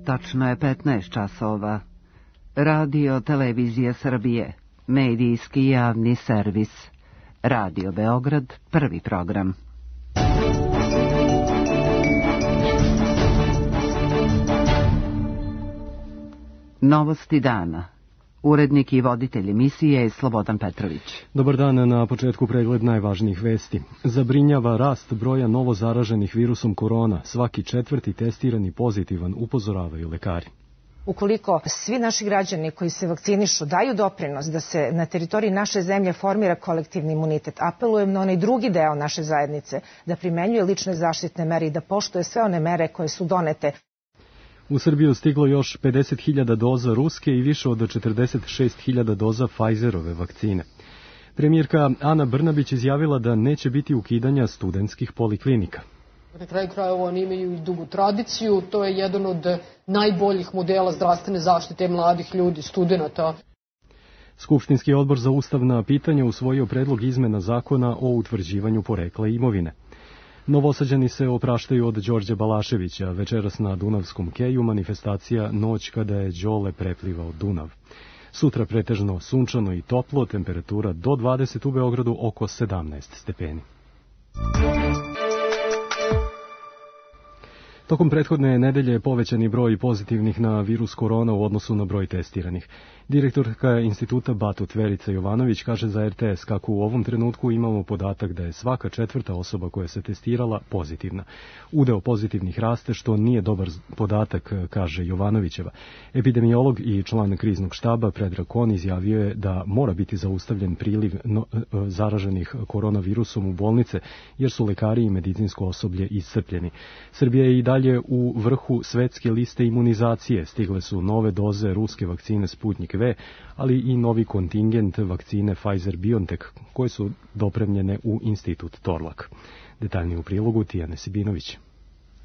Tačno je 15 časova. Radio Televizija Srbije, medijski javni servis. Radio Beograd, prvi program. Novosti dana. Urednik i voditelj emisije je Slobodan Petrović. Dobar dan, na početku pregled najvažnijih vesti. Zabrinjava rast broja novo zaraženih virusom korona. Svaki četvrti testirani pozitivan, upozoravaju lekari. Ukoliko svi naši građani koji se vakcinišu daju doprinos da se na teritoriji naše zemlje formira kolektivni imunitet, apelujem na onaj drugi deo naše zajednice da primenjuje lične zaštitne mere i da poštuje sve one mere koje su donete. U Srbiju stiglo još 50.000 doza ruske i više od 46.000 doza Pfizerove vakcine. Premijerka Ana Brnabić izjavila da neće biti ukidanja studentskih poliklinika. Na kraju krajeva oni imaju i dugu tradiciju, to je jedan od najboljih modela zdravstvene zaštite mladih ljudi, studenta. Skupštinski odbor za ustavna pitanja usvojio predlog izmena zakona o utvrđivanju porekla imovine. Novosađani se opraštaju od Đorđa Balaševića. Večeras na Dunavskom keju manifestacija Noć kada je Đole preplivao Dunav. Sutra pretežno sunčano i toplo, temperatura do 20, u Beogradu oko 17 stepeni. Tokom prethodne nedelje je povećani broj pozitivnih na virus korona u odnosu na broj testiranih. Direktorka instituta Batut Verica Jovanović kaže za RTS kako u ovom trenutku imamo podatak da je svaka četvrta osoba koja se testirala pozitivna. Udeo pozitivnih raste, što nije dobar podatak, kaže Jovanovićeva. Epidemiolog i član kriznog štaba Predrag Kon izjavio je da mora biti zaustavljen priliv zaraženih koronavirusom u bolnice, jer su lekari i medicinsko osoblje iscrpljeni. Srbija je i dalje u vrhu svetske liste imunizacije. Stigle su nove doze ruske vakcine Sputnik V, ali i novi kontingent vakcine Pfizer-BioNTech, koje su dopremljene u institut Torlak. Detaljnije u prilogu Tijane Sibinović.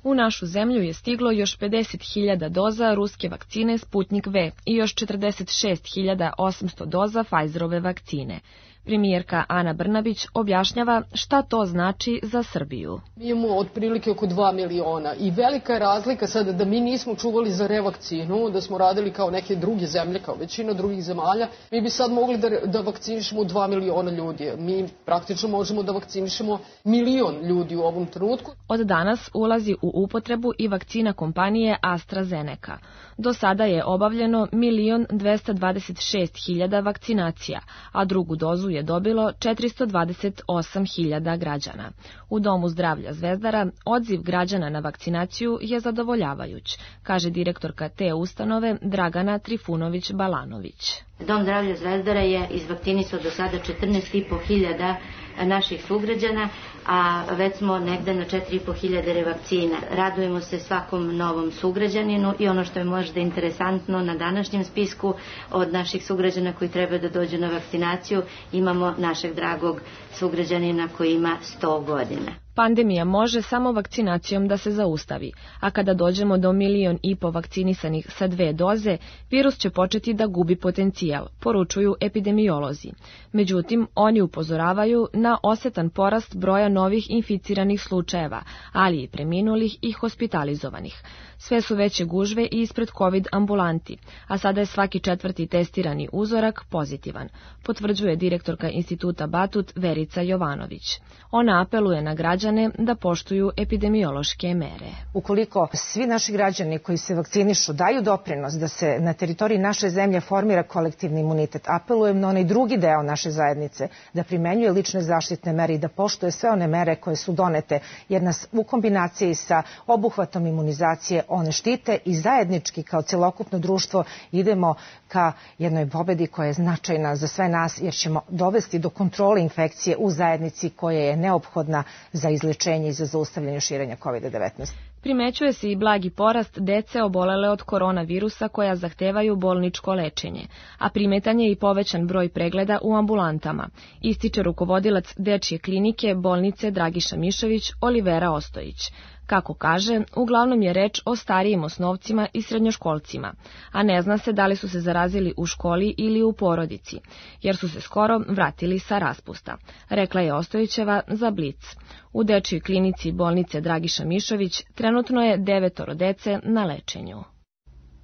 U našu zemlju je stiglo još 50.000 doza ruske vakcine Sputnik V i još 46.800 doza Pfizerove vakcine. Premijerka Ana Brnabić objašnjava šta to znači za Srbiju. Mi imamo otprilike oko 2 miliona i velika je razlika sada da mi nismo čuvali za revakcinu, da smo radili kao neke druge zemlje, kao većina drugih zemalja. Mi bi sad mogli da vakcinišemo 2 miliona ljudi. Mi praktično možemo da vakcinišemo 1 milion ljudi u ovom trenutku. Od danas ulazi u upotrebu i vakcina kompanije AstraZeneca. Do sada je obavljeno 1.226.000 vakcinacija, a drugu dozu je dobilo 428.000 građana. U Domu zdravlja Zvezdara odziv građana na vakcinaciju je zadovoljavajuć, kaže direktorka te ustanove Dragana Trifunović-Balanović. Dom zdravlja Zvezdara je izvakcinisao do sada 14.500 naših sugrađana, a već smo negde na 4.500 revakcina. Radujemo se svakom novom sugrađaninu i ono što je možda interesantno na današnjem spisku od naših sugrađana koji treba da dođu na vakcinaciju, imamo našeg dragog sugrađanina koji ima 100 godina. Pandemija može samo vakcinacijom da se zaustavi, a kada dođemo do 1,5 miliona vakcinisanih sa 2 doze, virus će početi da gubi potencijal, poručuju epidemiolozi. Međutim, oni upozoravaju na osetan porast broja novih inficiranih slučajeva, ali i preminulih i hospitalizovanih. Sve su veće gužve i ispred COVID ambulanti, a sada je svaki četvrti testirani uzorak pozitivan, potvrđuje direktorka instituta Batut Verica Jovanović. Ona apeluje na građane da poštuju epidemiološke mere. Ukoliko svi naši građani koji se vakcinišu daju doprinos da se na teritoriji naše zemlje formira kolektivni imunitet, apelujem na onaj drugi deo naše zajednice da primenjuje lične zaštitne mere i da poštuje sve one mere koje su donete, jer nas u kombinaciji sa obuhvatom imunizacije one štite i zajednički kao celokupno društvo idemo ka jednoj pobedi koja je značajna za sve nas, jer ćemo dovesti do kontrole infekcije u zajednici koja je neophodna za izlečenje i za zaustavljanje širenja COVID-19. Primećuje se i blagi porast dece obolele od koronavirusa koja zahtevaju bolničko lečenje, a primetan je i povećan broj pregleda u ambulantama, ističe rukovodilac dečje klinike bolnice Dragiša Mišović Olivera Ostojić. Kako kaže, uglavnom je reč o starijim osnovcima i srednjoškolcima, a ne zna se da li su se zarazili u školi ili u porodici, jer su se skoro vratili sa raspusta, rekla je Ostojićeva za Blic. U dečjoj klinici bolnice Dragiša Mišović trenutno je 9 dece na lečenju.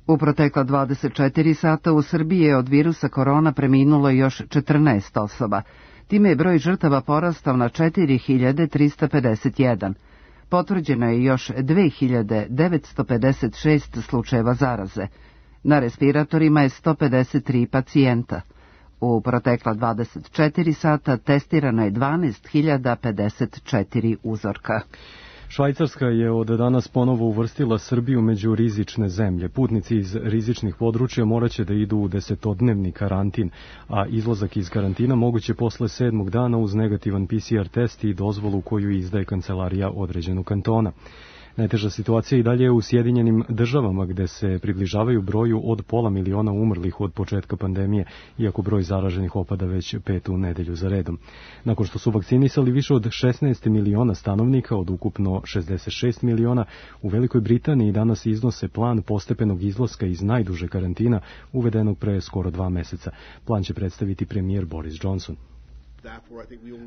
U protekla 24 sata u Srbiji je od virusa korona preminulo još 14 osoba. Time je broj žrtava porastao na 4351. Potvrđeno je još 2956 slučajeva zaraze. Na respiratorima je 153 pacijenta. U protekla 24 sata testirano je 12.054 uzorka. Švajcarska je od danas ponovo uvrstila Srbiju među rizične zemlje. Putnici iz rizičnih područja moraće da idu u 10-dnevni karantin, a izlazak iz karantina moguće posle 7. dana uz negativan PCR test i dozvolu koju izdaje kancelarija određenog kantona. Najteža situacija i dalje je u Sjedinjenim Državama, gde se približavaju broju od 500.000 umrlih od početka pandemije, iako broj zaraženih opada već 5. nedelju za redom. Nakon što su vakcinisali više od 16 miliona stanovnika od ukupno 66 miliona, u Velikoj Britaniji danas iznose plan postepenog izlaska iz najduže karantina, uvedenog pre skoro 2 meseca. Plan će predstaviti premijer Boris Johnson.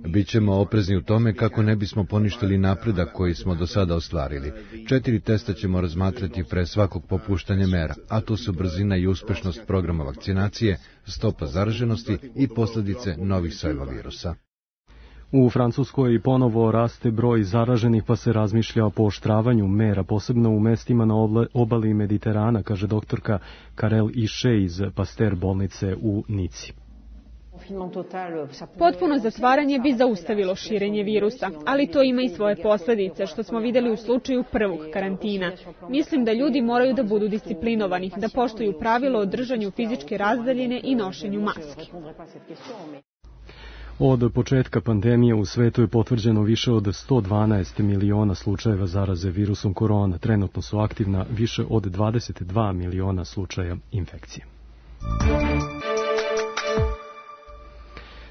Bićemo oprezni u tome kako ne bismo poništili napredak koji smo do sada ostvarili. 4 testa ćemo razmatrati pre svakog popuštanja mera, a to su brzina i uspešnost programa vakcinacije, stopa zaraženosti i posljedice novih sojeva virusa. U Francuskoj ponovo raste broj zaraženih, pa se razmišlja o pooštravanju mera, posebno u mestima na obali Mediterana, kaže doktorka Karel Iše iz Pasteur bolnice u Nici. Potpuno zatvaranje bi zaustavilo širenje virusa, ali to ima i svoje posljedice, što smo vidjeli u slučaju prvog karantina. Mislim da ljudi moraju da budu disciplinovani, da poštuju pravilo o držanju fizičke razdaljine i nošenju maski. Od početka pandemije u svetu je potvrđeno više od 112 miliona slučajeva zaraze virusom korona. Trenutno su aktivna više od 22 miliona slučaja infekcije.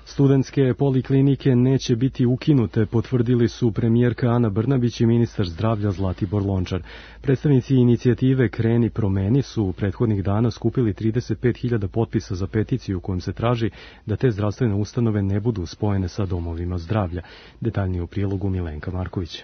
Studentske poliklinike neće biti ukinute, potvrdili su premijerka Ana Brnabić i ministar zdravlja Zlatibor Lončar. Predstavnici inicijative Kreni promeni su prethodnih dana skupili 35.000 potpisa za peticiju kojom se traži da te zdravstvene ustanove ne budu spojene sa domovima zdravlja. Detaljnije u prilogu Milenka Marković.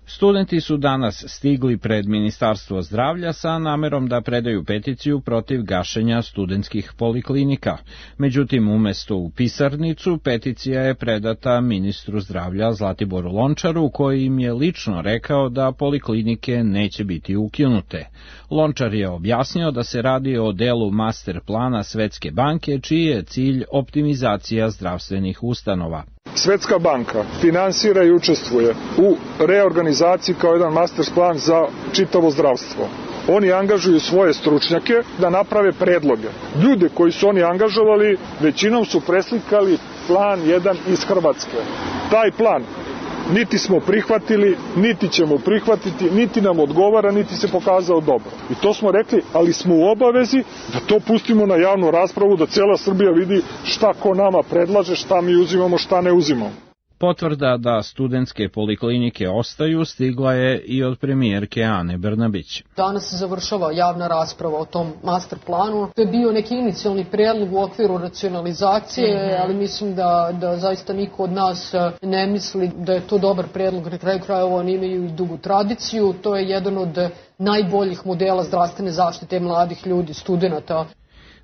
Studenti su danas stigli pred Ministarstvo zdravlja sa namerom da predaju peticiju protiv gašenja studentskih poliklinika. Međutim, umesto u pisarnicu, peticija je predata ministru zdravlja Zlatiboru Lončaru, koji im je lično rekao da poliklinike neće biti ukinute. Lončar je objasnio da se radi o delu master plana Svetske banke, čiji je cilj optimizacija zdravstvenih ustanova. Svetska banka finansira i učestvuje u reorganizaciji kao jedan master plan za čitavo zdravstvo. Oni angažuju svoje stručnjake da naprave predloge. Ljude koji su oni angažovali većinom su preslikali plan jedan iz Hrvatske. Taj plan niti smo prihvatili, niti ćemo prihvatiti, niti nam odgovara, niti se pokazao dobro. I to smo rekli, ali smo u obavezi da to pustimo na javnu raspravu, da cijela Srbija vidi šta ko nama predlaže, šta mi uzimamo, šta ne uzimamo. Potvrda da studentske poliklinike ostaju stigla je i od premijerke Ane Brnabić. Danas se završava javna rasprava o tom master planu. To je bio neki inicijalni predlog u okviru racionalizacije, ali mislim da zaista niko od nas ne misli da je to dobar predlog. Na kraju krajeva oni imaju i dugu tradiciju. To je jedan od najboljih modela zdravstvene zaštite mladih ljudi, studenata.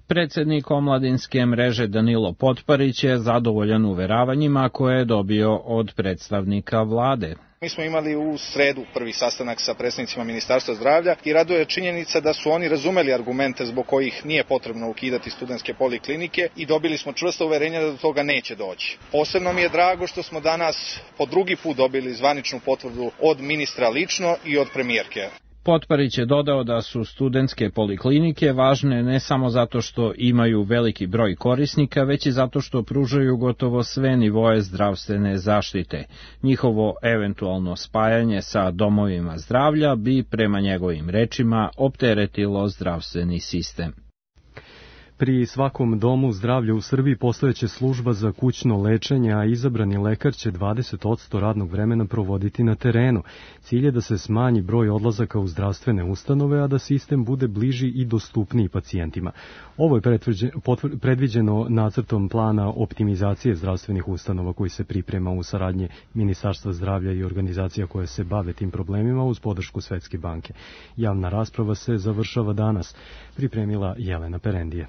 Predsednik omladinske mreže Danilo Potparić je zadovoljan uveravanjima koje je dobio od predstavnika vlade. Mi smo imali u sredu prvi sastanak sa predstavnicima Ministarstva zdravlja i raduje činjenica da su oni razumeli argumente zbog kojih nije potrebno ukidati studentske poliklinike i dobili smo čvrsto uverenje da do toga neće doći. Posebno mi je drago što smo danas po drugi put dobili zvaničnu potvrdu od ministra lično i od premijerke. Potparić je dodao da su studentske poliklinike važne ne samo zato što imaju veliki broj korisnika, već i zato što pružaju gotovo sve nivoe zdravstvene zaštite. Njihovo eventualno spajanje sa domovima zdravlja bi, prema njegovim rečima, opteretilo zdravstveni sistem. Pri svakom domu zdravlja u Srbiji postojeće služba za kućno lečenje, a izabrani lekar će 20% radnog vremena provoditi na terenu. Cilj je da se smanji broj odlazaka u zdravstvene ustanove, a da sistem bude bliži i dostupniji pacijentima. Ovo je predviđeno nacrtom plana optimizacije zdravstvenih ustanova koji se priprema u saradnji Ministarstva zdravlja i organizacija koje se bave tim problemima uz podršku Svetske banke. Javna rasprava se završava danas, pripremila Jelena Perendije.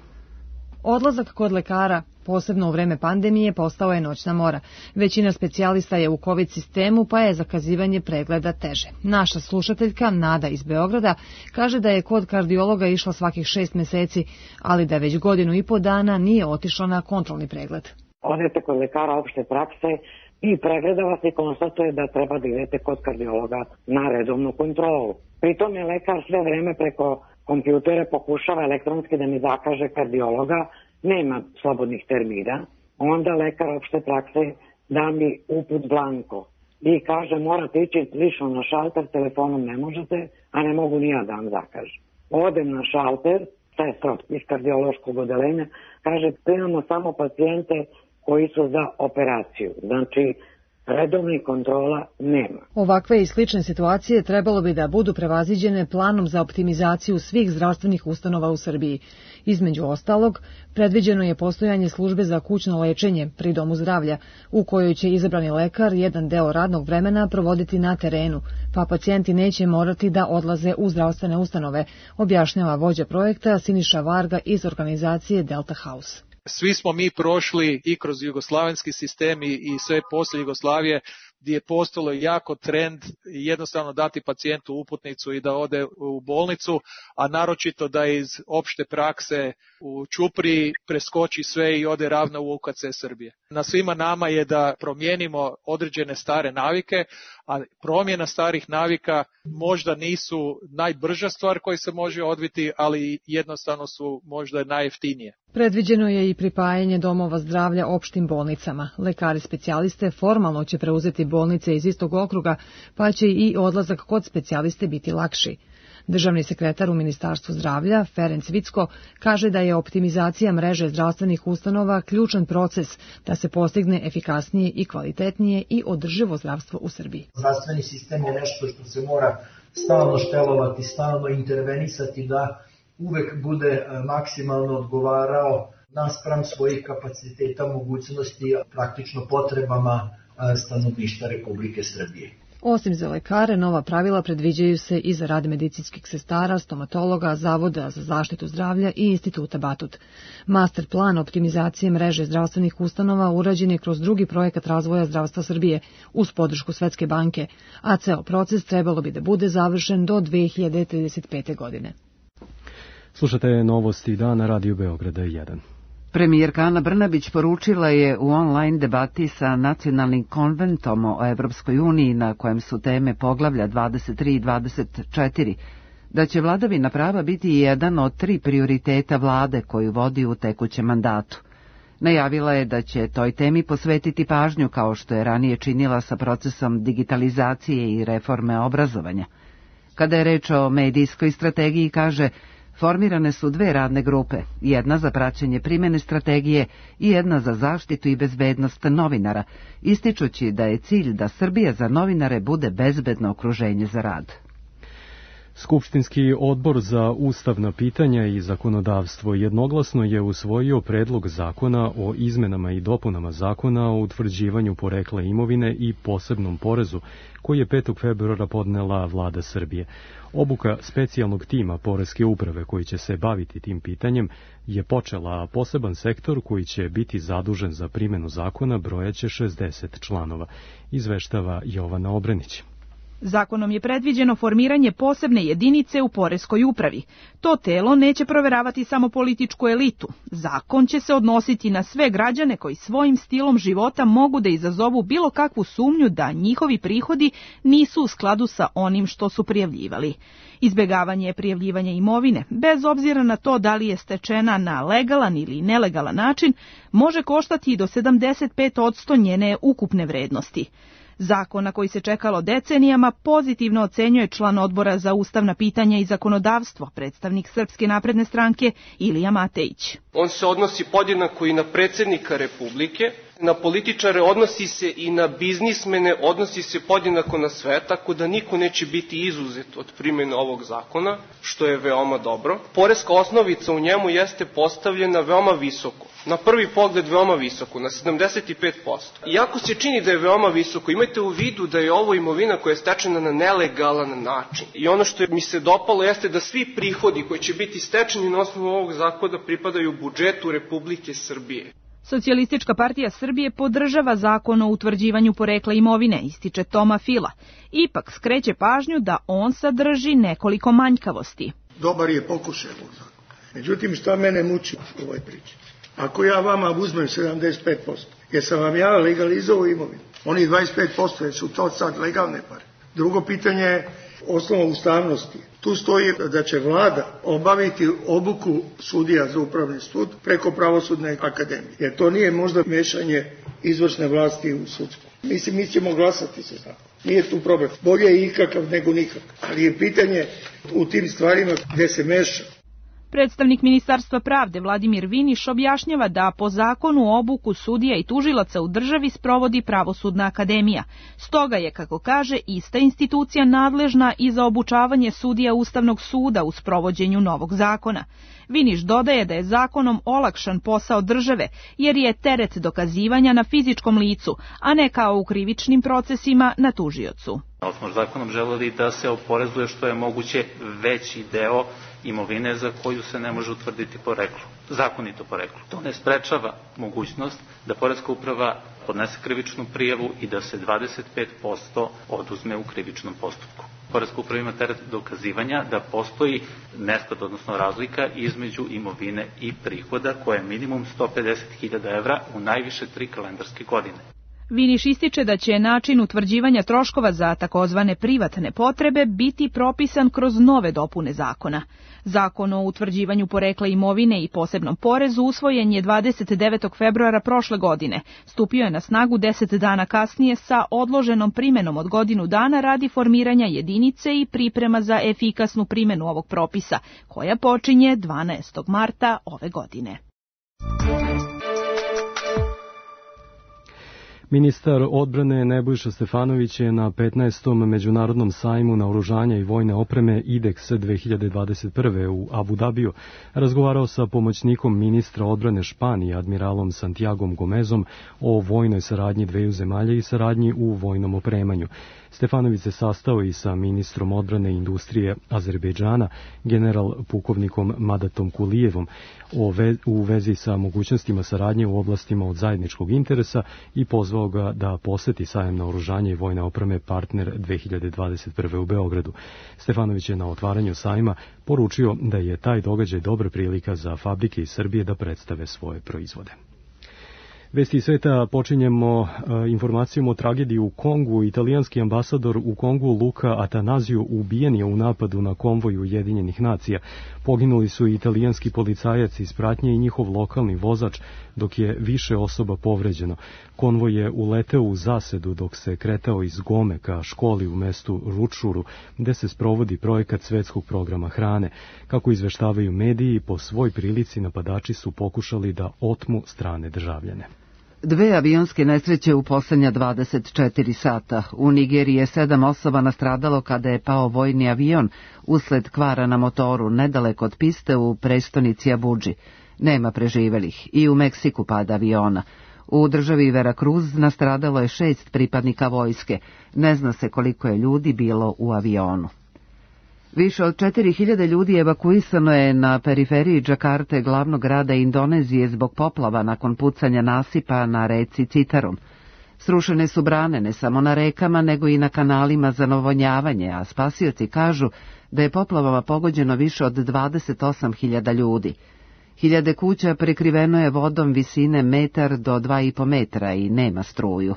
Odlazak kod lekara, posebno u vreme pandemije, postao je noćna mora. Većina specijalista je u COVID sistemu, pa je zakazivanje pregleda teže. Naša slušateljka Nada iz Beograda kaže da je kod kardiologa išla svakih 6 meseci, ali da već 1,5 dana nije otišla na kontrolni pregled. Odete kod lekara opšte prakse i pregleda vas i konstatuje da treba da idete kod kardiologa na redovnu kontrolu. Pritom je lekar sve vreme preko kompjutera pokušava elektronski da mi zakaže kardiologa, nema slobodnih termina, onda lekar opšte prakse da mi uput blanko i kaže morate ići lično na šalter, telefonom ne možete, a ne mogu ni ja da vam zakažem. Odem na šalter, sestra iz kardiološkog odeljenja, kaže primamo samo pacijente koji su za operaciju, znači redovnih kontrola nema. Ovakve i slične situacije trebalo bi da budu prevaziđene planom za optimizaciju svih zdravstvenih ustanova u Srbiji. Između ostalog, predviđeno je postojanje službe za kućno lečenje pri domu zdravlja, u kojoj će izabrani lekar jedan deo radnog vremena provoditi na terenu, pa pacijenti neće morati da odlaze u zdravstvene ustanove, objašnjava vođa projekta Siniša Varga iz organizacije Delta House. Svi smo mi prošli i kroz jugoslavenski sistem i sve poslije Jugoslavije gdje je postalo jako trend jednostavno dati pacijentu uputnicu i da ode u bolnicu, a naročito da iz opšte prakse u Ćupriji preskoči sve i ode ravno u UKC Srbije. Na svima nama je da promijenimo određene stare navike, a promjena starih navika možda nisu najbrža stvar koja se može odviti, ali jednostavno su možda najjeftinije. Predviđeno je i pripajanje domova zdravlja opštim bolnicama. Lekari specijaliste formalno će preuzeti bolnice iz istog okruga, pa će i odlazak kod specijaliste biti lakši. Državni sekretar u Ministarstvu zdravlja, Ferenc Vicko, kaže da je optimizacija mreže zdravstvenih ustanova ključan proces da se postigne efikasnije i kvalitetnije i održivo zdravstvo u Srbiji. Zdravstveni sistem je nešto što se mora stalno štelovati, stalno intervenisati da uvek bude maksimalno odgovarao naspram svojih kapaciteta, mogućnosti, praktično potrebama stanovništva Republike Srbije. Osim za lekare, nova pravila predviđaju se i za rad medicinskih sestara, stomatologa, Zavoda za zaštitu zdravlja i Instituta Batut. Master plan optimizacije mreže zdravstvenih ustanova urađen je kroz drugi projekat razvoja zdravstva Srbije uz podršku Svetske banke, a ceo proces trebalo bi da bude završen do 2035. godine. Slušate novosti dana Radio Beograda 1. Premijerka Ana Brnabić poručila je u online debati sa Nacionalnim konventom o Evropskoj uniji, na kojem su teme poglavlja 23 i 24, da će vladavina prava biti jedan od 3 prioriteta vlade koju vodi u tekućem mandatu. Najavila je da će toj temi posvetiti pažnju kao što je ranije činila sa procesom digitalizacije i reforme obrazovanja. Kada je reč o medijskoj strategiji, kaže, formirane su 2 radne grupe, jedna za praćenje primjene strategije i jedna za zaštitu i bezbednost novinara, ističući da je cilj da Srbija za novinare bude bezbedno okruženje za rad. Skupštinski odbor za ustavna pitanja i zakonodavstvo jednoglasno je usvojio predlog zakona o izmenama i dopunama zakona o utvrđivanju porekla imovine i posebnom porezu, koji je 5. februara podnela vlada Srbije. Obuka specijalnog tima Poreske uprave koji će se baviti tim pitanjem je počela, a poseban sektor koji će biti zadužen za primjenu zakona brojaće 60 članova, izveštava Jovana Obrenić. Zakonom je predviđeno formiranje posebne jedinice u Poreskoj upravi. To telo neće proveravati samo političku elitu. Zakon će se odnositi na sve građane koji svojim stilom života mogu da izazovu bilo kakvu sumnju da njihovi prihodi nisu u skladu sa onim što su prijavljivali. Izbegavanje prijavljivanja imovine, bez obzira na to da li je stečena na legalan ili nelegalan način, može koštati i do 75% njene ukupne vrednosti. Zakon na koji se čekalo decenijama pozitivno ocenjuje član odbora za ustavna pitanja i zakonodavstvo, predstavnik Srpske napredne stranke Ilija Matejić. On se odnosi podjednako i na predsjednika Republike, na političare, odnosi se i na biznismene, odnosi se podjednako na sve, tako da niko neće biti izuzet od primjene ovog zakona, što je veoma dobro. Poreska osnovica u njemu jeste postavljena veoma visoko. Na prvi pogled veoma visoko, na 75%. Iako se čini da je veoma visoko, imajte u vidu da je ovo imovina koja je stečena na nelegalan način. I ono što mi se dopalo jeste da svi prihodi koji će biti stečeni na osnovu ovog zakona pripadaju budžetu Republike Srbije. Socijalistička partija Srbije podržava zakon o utvrđivanju porekla imovine, ističe Toma Fila. Ipak skreće pažnju da on sadrži nekoliko manjkavosti. Dobar je pokušaj ovog zakona. Međutim, šta mene muči u ovoj priči? Ako ja vama uzmem 75%, jer sam vam ja legalizovao imovinu, oni 25%, jer su to sad legalne pare. Drugo pitanje je osnova ustavnosti. Tu stoji da će vlada obaviti obuku sudija za upravni sud preko pravosudne akademije. Jer to nije možda mešanje izvršne vlasti u sudsku. Mislim, mi ćemo glasati se tako. Nije tu problem. Bolje je ikakav nego nikakav. Ali je pitanje u tim stvarima gde se meša. Predstavnik Ministarstva pravde Vladimir Viniš objašnjava da po zakonu obuku sudija i tužilaca u državi sprovodi Pravosudna akademija. Stoga je, kako kaže, ista institucija nadležna i za obučavanje sudija Ustavnog suda u sprovođenju novog zakona. Viniš dodaje da je zakonom olakšan posao države, jer je teret dokazivanja na fizičkom licu, a ne kao u krivičnim procesima na tužiocu. Smo zakonom želeli da se oporezuje što je moguće veći deo imovine za koju se ne može utvrditi poreklo, zakonito poreklo. To ne sprečava mogućnost da Poreska uprava podnese krivičnu prijavu i da se 25% oduzme u krivičnom postupku. Poreska uprava ima teret dokazivanja da postoji nesklad, odnosno razlika između imovine i prihoda koja je minimum 150.000 evra u najviše 3 kalendarske godine. Viniš ističe da će način utvrđivanja troškova za takozvane privatne potrebe biti propisan kroz nove dopune zakona. Zakon o utvrđivanju porekla imovine i posebnom porezu usvojen je 29. februara prošle godine. Stupio je na snagu 10 dana kasnije sa odloženom primenom od godinu dana radi formiranja jedinice i priprema za efikasnu primenu ovog propisa, koja počinje 12. marta ove godine. Ministar odbrane Nebojša Stefanović je na 15. međunarodnom sajmu naoružanja i vojne opreme IDEX 2021. u Abu Dabiju razgovarao sa pomoćnikom ministra odbrane Španije, admiralom Santiagom Gomezom, o vojnoj saradnji dveju zemalja i saradnji u vojnom opremanju. Stefanović se sastao i sa ministrom odbrane i industrije Azerbejdžana, general pukovnikom Madatom Kulijevom, u vezi sa mogućnostima saradnje u oblastima od zajedničkog interesa i pozvao ga da poseti sajam naoružanja i vojne opreme Partner 2021. u Beogradu. Stefanović je na otvaranju sajma poručio da je taj događaj dobra prilika za fabrike iz Srbije da predstave svoje proizvode. Vesti sveta počinjemo informacijom o tragediji u Kongu. Italijanski ambasador u Kongu Luka Atanazio ubijen je u napadu na konvoj Ujedinjenih nacija. Poginuli su i italijanski policajac iz pratnje i njihov lokalni vozač, dok je više osoba povređeno. Konvoj je uleteo u zasedu dok se kretao iz Gome ka školi u mestu Ručuru, gde se sprovodi projekat Svetskog programa hrane. Kako izveštavaju mediji, po svoj prilici napadači su pokušali da otmu strane državljane. 2 avionske nesreće u poslednja 24 sata. U Nigeriji je 7 osoba nastradalo kada je pao vojni avion usled kvara na motoru nedaleko od piste u prestonici Abudži. Nema preživelih. I u Meksiku pada aviona. U državi Veracruz nastradalo je 6 pripadnika vojske. Ne zna se koliko je ljudi bilo u avionu. Više od 4000 ljudi evakuisano je na periferiji Džakarte, glavnog grada Indonezije, zbog poplava nakon pucanja nasipa na reci Citarum. Srušene su brane ne samo na rekama, nego i na kanalima za navodnjavanje, a spasioci kažu da je poplavama pogođeno više od 28.000 ljudi. Hiljade kuća prekriveno je vodom visine 1 do 2,5 metra i nema struju.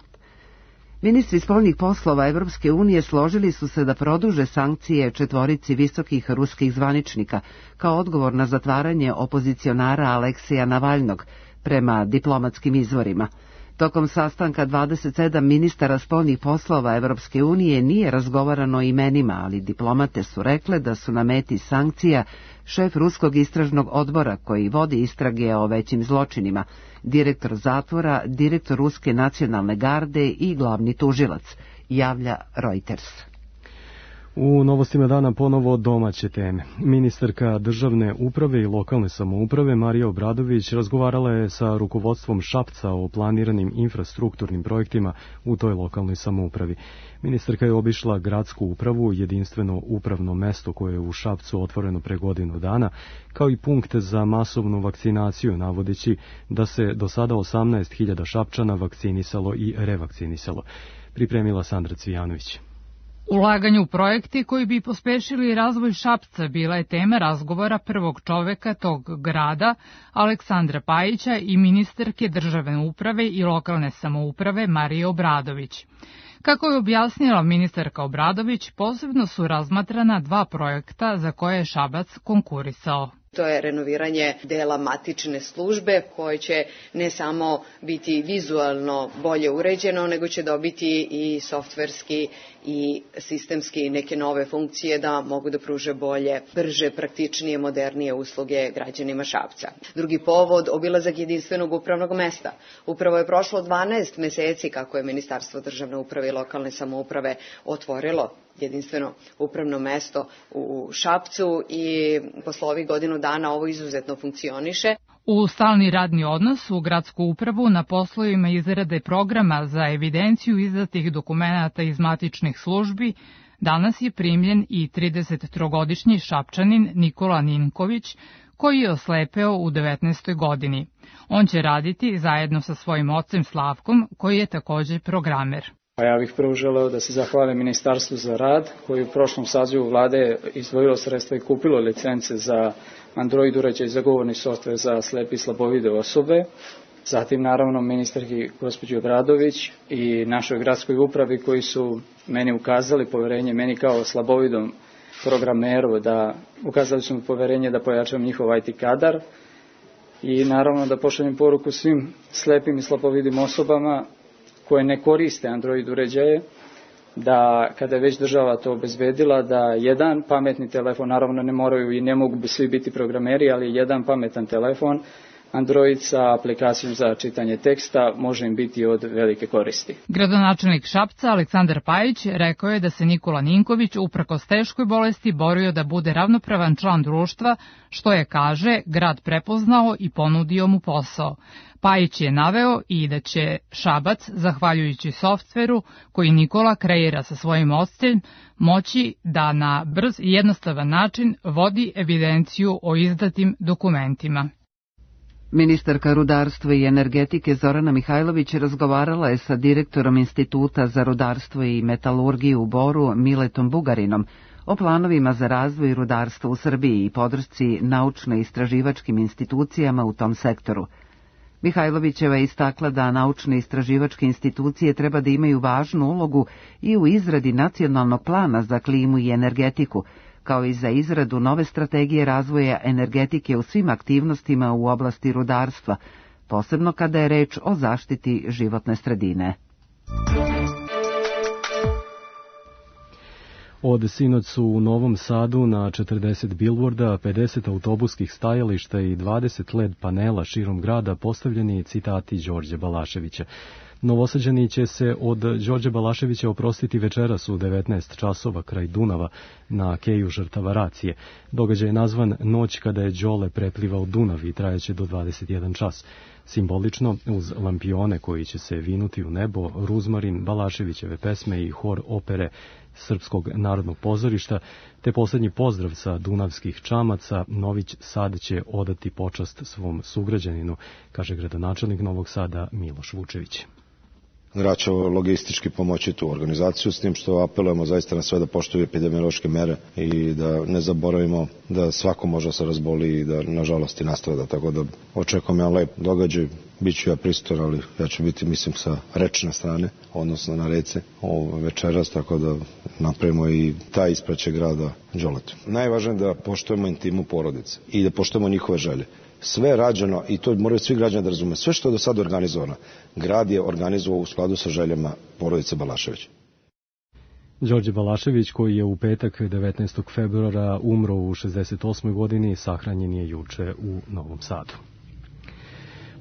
Ministri spoljnih poslova Evropske unije složili su se da produže sankcije 4 visokih ruskih zvaničnika kao odgovor na zatvaranje opozicionara Aleksija Navalnog, prema diplomatskim izvorima. Tokom sastanka 27 ministara spoljnih poslova Evropske unije nije razgovarano o imenima, ali diplomate su rekle da su na meti sankcija šef Ruskog istražnog odbora koji vodi istrage o većim zločinima, direktor zatvora, direktor Ruske nacionalne garde i glavni tužilac, javlja Reuters. U novostima dana ponovo domaće teme. Ministarka državne uprave i lokalne samouprave Marija Obradović razgovarala je sa rukovodstvom Šapca o planiranim infrastrukturnim projektima u toj lokalnoj samoupravi. Ministarka je obišla gradsku upravu, jedinstveno upravno mesto koje je u Šapcu otvoreno pre godinu dana, kao i punkt za masovnu vakcinaciju, navodeći da se do sada 18.000 Šapčana vakcinisalo i revakcinisalo. Pripremila Sandra Cvijanović. Ulaganje u projekti koji bi pospešili razvoj Šapca bila je tema razgovora prvog čoveka tog grada, Aleksandra Pajića, i ministarke državne uprave i lokalne samouprave Marije Obradović. Kako je objasnila ministarka Obradović, posebno su razmatrana 2 projekta za koje je Šabac konkurisao. To je renoviranje dela matične službe koje će ne samo biti vizualno bolje uređeno, nego će dobiti i softverski i sistemski neke nove funkcije da mogu da pruže bolje, brže, praktičnije, modernije usluge građanima Šapca. Drugi povod, obilazak jedinstvenog upravnog mesta. Upravo je prošlo 12 meseci kako je Ministarstvo državne uprave i lokalne samouprave otvorilo jedinstveno upravno mesto u Šapcu i posle ovih godinu dana ovo izuzetno funkcioniše. U stalni radni odnos u gradsku upravu na poslovima izrade programa za evidenciju izdatih dokumenata iz matičnih službi danas je primljen i 33-godišnji Šapčanin Nikola Ninković, koji je oslepeo u 19. godini. On će raditi zajedno sa svojim ocem Slavkom, koji je takođe programer. Ja bih prvo želeo da se zahvalim Ministarstvu za rad, koji u prošlom sazivu vlade izdvojilo sredstva i kupilo licence za Android uređaj za govorni softver za slepe i slabovide osobe. Zatim naravno ministarki gospođi Obradović i našoj gradskoj upravi koji su meni ukazali poverenje, meni kao slabovidom programeru, da ukazali su mi poverenje da pojačam njihov IT kadar i naravno da pošaljem poruku svim slepim i slabovidim osobama koje ne koriste Android uređaje, da kada je već država to obezbedila, da jedan pametni telefon, naravno ne moraju i ne mogu svi biti programeri, ali jedan pametan telefon, Android sa aplikacijom za čitanje teksta može im biti od velike koristi. Gradonačelnik Šapca Aleksandar Pajić rekao je da se Nikola Ninković uprkos teškoj bolesti borio da bude ravnopravan član društva, što je, kaže, grad prepoznao i ponudio mu posao. Pajić je naveo i da će Šabac, zahvaljujući softveru koji Nikola kreira sa svojim ocem, moći da na brz i jednostavan način vodi evidenciju o izdatim dokumentima. Ministarka rudarstva i energetike Zorana Mihajlović razgovarala je sa direktorom Instituta za rudarstvo i metalurgiju u Boru Miletom Bugarinom o planovima za razvoj rudarstva u Srbiji i podršci naučno-istraživačkim institucijama u tom sektoru. Mihajlovićeva je istakla da naučno-istraživačke institucije treba da imaju važnu ulogu i u izradi nacionalnog plana za klimu i energetiku, kao i za izradu nove strategije razvoja energetike u svim aktivnostima u oblasti rudarstva, posebno kada je reč o zaštiti životne sredine. Od sinoć su u Novom Sadu na 40 bilborda, 50 autobuskih stajališta i 20 LED panela širom grada postavljeni citati Đorđe Balaševića. Novosađani će se od Đorđe Balaševića oprostiti večeras u 19 časova kraj Dunava na keju žrtava racije. Događaj je nazvan Noć kada je Đole preplivao Dunav i trajaće do 21 čas. Simbolično, uz lampione koji će se vinuti u nebo, ruzmarin, Balaševićeve pesme i hor opere Srpskog narodnog pozorišta, te poslednji pozdrav sa dunavskih čamaca, Nović Sad će odati počast svom sugrađaninu, kaže gradonačelnik Novog Sada Miloš Vučević. Grad će logistički pomoći tu organizaciju, s tim što apelujemo zaista na sve da poštuju epidemiološke mere i da ne zaboravimo da svako može se razboli i da nažalost i nastrada, tako da očekujem jedan lep događaj, bit ću ja prisutan, ali ja ću biti, mislim, sa rečne strane, odnosno na rece večeras, tako da napravimo i taj ispraćaj grada Đoletu. Najvažnije je da poštujemo intimu porodice i da poštujemo njihove želje. Sve je rađeno, i to moraju svi građani da razume, sve što je do sada organizovano, grad je organizovao u skladu sa željama porodice Balašević. Đorđe Balašević, koji je u petak 19. februara umro u 68. godini, sahranjen je juče u Novom Sadu.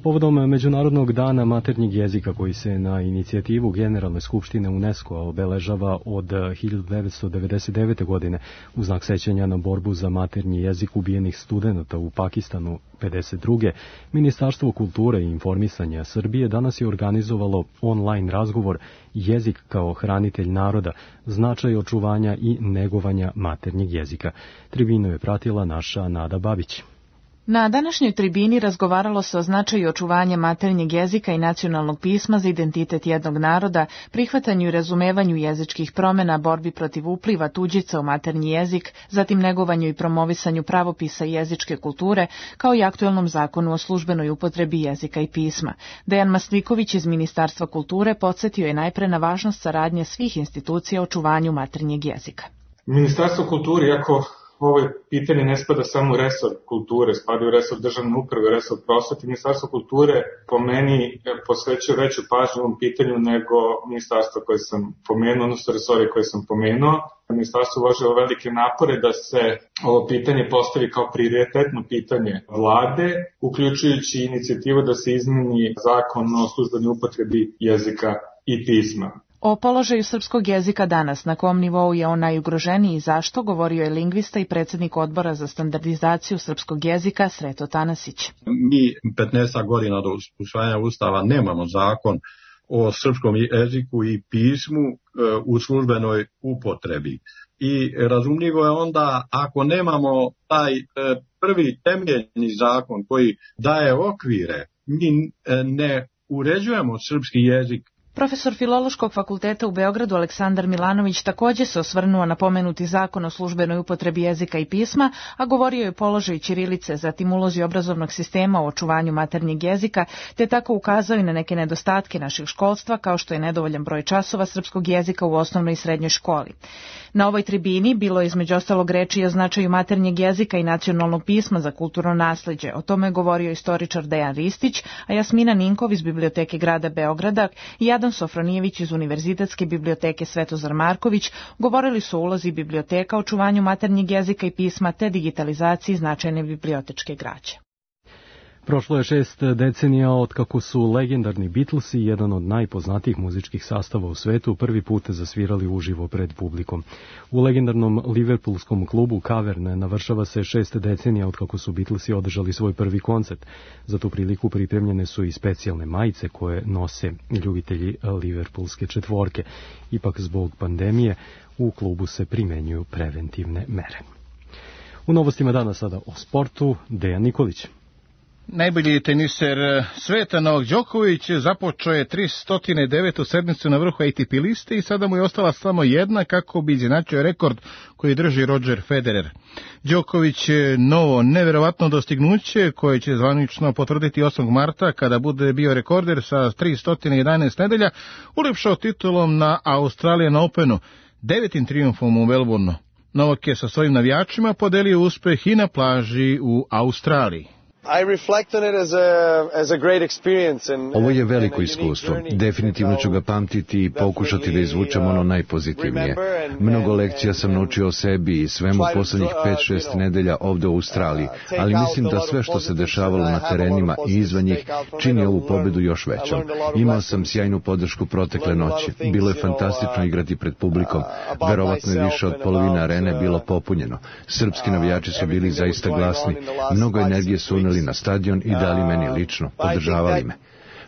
Povodom Međunarodnog dana maternjeg jezika, koji se na inicijativu Generalne skupštine UNESCO obeležava od 1999. godine u znak sećanja na borbu za maternji jezik ubijenih studenata u Pakistanu 52. Ministarstvo kulture i informisanja Srbije danas je organizovalo online razgovor Jezik kao hranitelj naroda, značaj očuvanja i negovanja maternjeg jezika. Tribinu je pratila naša Nada Babić. Na današnjoj tribini razgovaralo se o značaju očuvanja maternjeg jezika i nacionalnog pisma za identitet jednog naroda, prihvatanju i razumevanju jezičkih promjena, borbi protiv upliva tuđica u maternji jezik, zatim negovanju i promovisanju pravopisa i jezičke kulture, kao i aktuelnom zakonu o službenoj upotrebi jezika i pisma. Dejan Masliković iz Ministarstva kulture podsjetio je najpre na važnost saradnje svih institucija o očuvanju maternjeg jezika. Ministarstvo kulture, iako ovo pitanje ne spada samo u resor kulture, spada u resor državne uprave, u resor prosvete. Ministarstvo kulture po meni posvećuje veću pažnju ovom pitanju nego ministarstvo koje sam pomenuo, odnosno resore koje sam pomenuo. Ministarstvo uložilo velike napore da se ovo pitanje postavi kao prioritetno pitanje vlade, uključujući inicijativu da se izmeni zakon o službenoj upotrebi jezika i pisma. O položaju srpskog jezika danas, na kom nivou je on najugroženiji i zašto, govorio je lingvista i predsjednik odbora za standardizaciju srpskog jezika Sreto Tanasić. Mi 15 godina do usvajanja Ustava nemamo zakon o srpskom jeziku i pismu u službenoj upotrebi. I razumljivo je onda, ako nemamo taj prvi temeljni zakon koji daje okvire, mi ne uređujemo srpski jezik. Profesor Filološkog fakulteta u Beogradu Aleksandar Milanović također se osvrnuo na pomenuti zakon o službenoj upotrebi jezika i pisma, a govorio je o položaju ćirilice, zatim ulozi obrazovnog sistema u očuvanju maternjeg jezika, te tako ukazao i na neke nedostatke našeg školstva, kao što je nedovoljan broj časova srpskog jezika u osnovnoj i srednjoj školi. Na ovoj tribini bilo je između ostalog reči o značaju maternjeg jezika i nacionalnog pisma za kulturno nasleđe. O tome je govorio istoričar Dejan Ristić, a Jasmina Ninkov iz Biblioteke grada Beograda i Adam Sofronijević iz Univerzitetske biblioteke Svetozar Marković govorili su o ulozi biblioteka, očuvanju maternjeg jezika i pisma te digitalizaciji značajne bibliotečke građe. Prošlo je 6 decenija od kako su legendarni Beatlesi, jedan od najpoznatijih muzičkih sastava u svetu, prvi put zasvirali uživo pred publikom. U legendarnom liverpoolskom klubu Cavern navršava se 6 decenija od kako su Beatlesi održali svoj prvi koncert. Za tu priliku pripremljene su i specijalne majice koje nose ljubitelji liverpoolske četvorke. Ipak zbog pandemije u klubu se primenjuju preventivne mere. U novostima danas sada o sportu, Dejan Nikolić. Najbolji teniser sveta Novak Đoković započeo je 309. sedmicu na vrhu ATP liste i sada mu je ostala samo jedna kako bi izjednačio rekord koji drži Roger Federer. Đoković je novo neverovatno dostignuće koje će zvanično potvrditi 8. marta kada bude bio rekorder sa 311 nedelja, ulepšao titulom na Australian Openu, 9. trijumfom u Melbourneu. Novak je sa svojim navijačima podelio uspeh i na plaži u Australiji. Ovo je veliko iskustvo. Definitivno ću ga pamtiti i pokušati da izvučem ono najpozitivnije. Mnogo lekcija sam naučio o sebi i svemu poslednjih 5-6 nedelja ovde u Australiji, ali mislim da sve što se dešavalo na terenima i izvan njih čini ovu pobedu još većom. Imao sam sjajnu podršku protekle noći. Bilo je fantastično igrati pred publikom. Verovatno je više od polovine arene bilo popunjeno. Srpski navijači su bili zaista glasni. Mnogo energije su uneli na stadion i dali meni lično, podržavali me.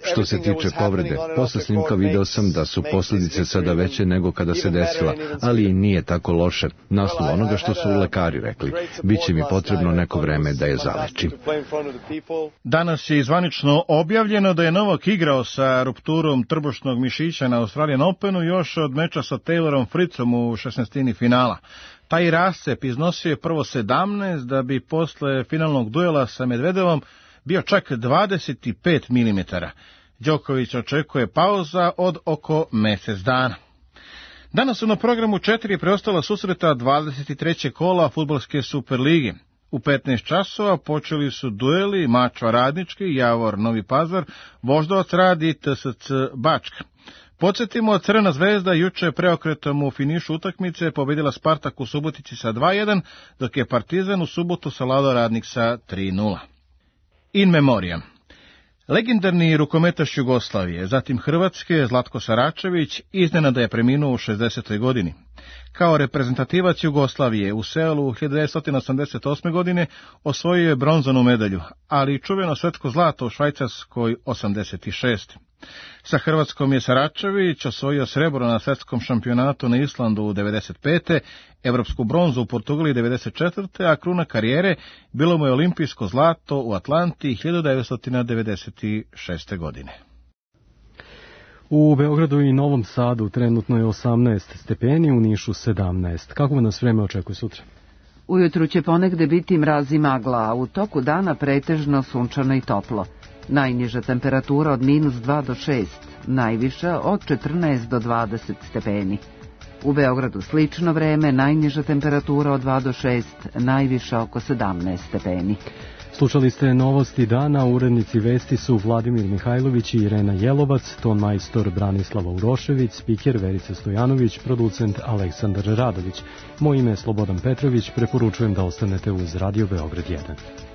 Što se tiče povrede, posle snimka video sam da su posljedice sada veće nego kada se desila, ali i nije tako loše. Na osnovu onoga što su lekari rekli, biće mi potrebno neko vreme da je zalečim. Danas je zvanično objavljeno da je Novak igrao sa rupturom trbušnog mišića na Australian Openu još od meča sa Taylorom Fritzom u 16. finala. Taj rascep iznosio je prvo 17, da bi posle finalnog duela sa Medvedevom bio čak 25 mm. Đoković očekuje pauza od oko mjesec dana. Danas su na programu 4 preostala susreta 23. kola fudbalske Superlige. U 15 časova počeli su dueli Mačva Radnički, Javor Novi Pazar, Voždovac Rad i TSC Bačka. Podsjetimo, Crvena zvezda juče preokretom u finišu utakmice pobedila Spartak u Subotici sa 2:1, dok je Partizan u subotu savladao Radnik sa 3:0. In memoriam. Legendarni rukometaš Jugoslavije, zatim Hrvatske, Zlatko Saračević, iznenada je preminuo u 60. godini. Kao reprezentativac Jugoslavije u Seulu 1988. godine osvojio je bronzanu medalju, ali i čuveno svetsko zlato u Švajcarskoj 86. Sa Hrvatskom je Saračević osvojio srebro na svetskom šampionatu na Islandu u 95. evropsku bronzu u Portugali 94. a kruna karijere bilo mu je olimpijsko zlato u Atlanti 1996. godine. U Beogradu i Novom Sadu trenutno je 18 stepeni, u Nišu 17. Kako nas vreme očekuje sutra? Ujutru će ponegde biti mraz i magla, a u toku dana pretežno sunčano i toplo. Najniža temperatura od -2 do 6, najviša od 14 do 20 stepeni. U Beogradu slično vreme, najniža temperatura od 2 do 6, najviša oko 17 stepeni. Slušali ste novosti dana, urednici vesti su Vladimir Mihajlović i Irena Jelovac, ton majstor Branislava Urošević, spiker Verica Stojanović, producent Aleksandar Radović. Moje ime je Slobodan Petrović, preporučujem da ostanete uz Radio Beograd 1.